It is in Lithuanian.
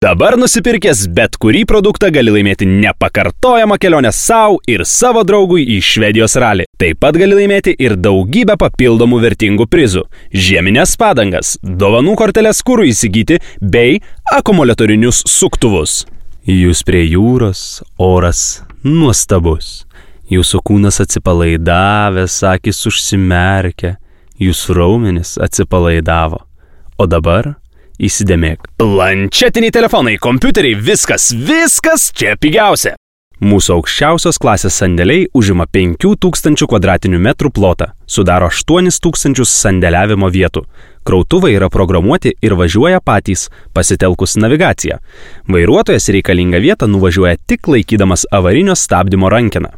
Dabar nusipirkęs bet kurį produktą gali laimėti nepakartojamą kelionę savo ir savo draugui į Švedijos ralį. Taip pat gali laimėti ir daugybę papildomų vertingų prizų, žieminės padangas, dovanų korteles kurui įsigyti bei akumuliatorinius suktuvus. Jūs prie jūros, oras nuostabus. Jūsų kūnas atsipalaidavęs, akys užsimerkia, jūsų raumenis atsipalaidavo. O dabar įsidėmėk. Planšetiniai telefonai, kompiuteriai, viskas čia pigiausia. Mūsų aukščiausios klasės sandėliai užima 5000 kvadratinių metrų plotą, sudaro 8000 sandėliavimo vietų. Krautuvai yra programuoti ir važiuoja patys, pasitelkus navigaciją. Vairuotojas reikalingą vietą nuvažiuoja tik laikydamas avarinio stabdymo rankeną.